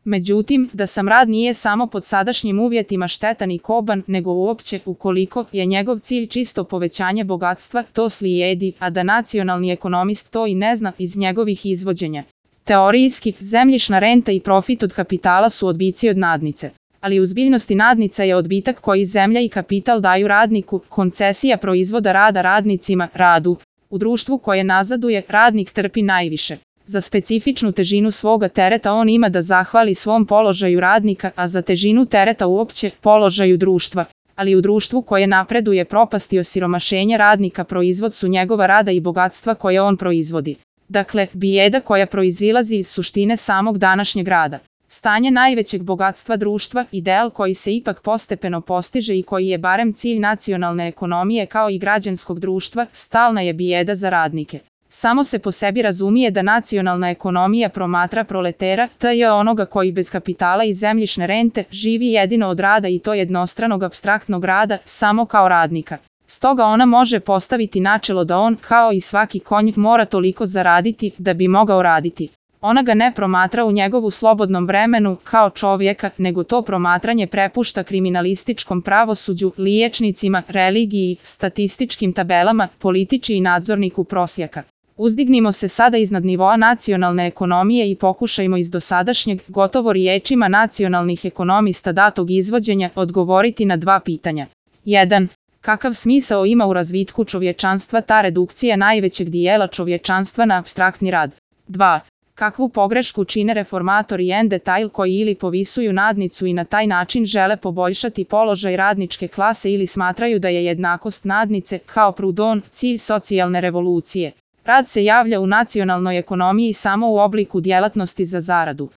Međutim, da sam rad nije samo pod sadašnjim uvjetima štetan i koban, nego uopće, ukoliko je njegov cilj čisto povećanje bogatstva, to slijedi, a da nacionalni ekonomist to i ne zna iz njegovih izvođenja. Teorijski, zemljišna renta i profit od kapitala su odbici od nadnice. Ali u zbiljnosti nadnica je odbitak koji zemlja i kapital daju radniku, koncesija proizvoda rada radnicima, radu. U društvu koje nazaduje, radnik trpi najviše. Za specifičnu težinu svoga tereta on ima da zahvali svom položaju radnika, a za težinu tereta uopće položaju društva. Ali u društvu koje napreduje, propast i osiromašenje radnika proizvod su njegova rada i bogatstva koje on proizvodi. Dakle, bijeda koja proizilazi iz suštine samog današnjeg rada. Stanje najvećeg bogatstva društva, ideal koji se ipak postepeno postiže i koji je barem cilj nacionalne ekonomije kao i građanskog društva, stalna je bijeda za radnike. Samo se po sebi razumije da nacionalna ekonomija promatra proletera, t.j. onoga koji bez kapitala i zemljišne rente živi jedino od rada i to jednostranog apstraktnog rada, samo kao radnika. Stoga ona može postaviti načelo da on, kao i svaki konj, mora toliko zaraditi da bi mogao raditi. Ona ga ne promatra u njegovu slobodnom vremenu kao čovjeka, nego to promatranje prepušta kriminalističkom pravosuđu, liječnicima, religiji, statističkim tabelama, političi i nadzorniku prosjaka. Uzdignimo se sada iznad nivoa nacionalne ekonomije i pokušajmo iz dosadašnjeg, gotovo riječima nacionalnih ekonomista datog izvođenja, odgovoriti na dva pitanja. 1. Kakav smisao ima u razvitku čovječanstva ta redukcija najvećeg dijela čovječanstva na apstraktni rad? 2. Kakvu pogrešku čine reformatori en detail koji ili povisuju nadnicu i na taj način žele poboljšati položaj radničke klase ili smatraju da je jednakost nadnice, kao Proudhon, cilj socijalne revolucije. Rad se javlja u nacionalnoj ekonomiji samo u obliku djelatnosti za zaradu.